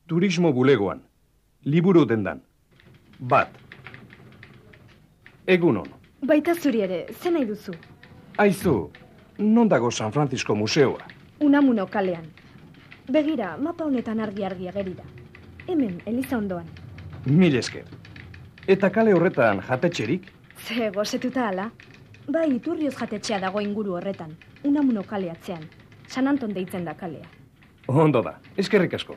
Turismo bulegoan. Liburu dendan. Bat. Egunon. Baita zuri ere, ze nahi duzu? Aizu, non dago San Francisco museoa? Unamuno kalean. Begira, mapa honetan argi ageri da. Hemen, Eliza ondoan. Mil esker. Eta kale horretan jatetxerik? Ze, gozetuta ala. Bai, Iturrioz jatetxea dago inguru horretan. Unamuno kale atzean. San Anton deitzen da kalea. Ondo da, eskerrik asko.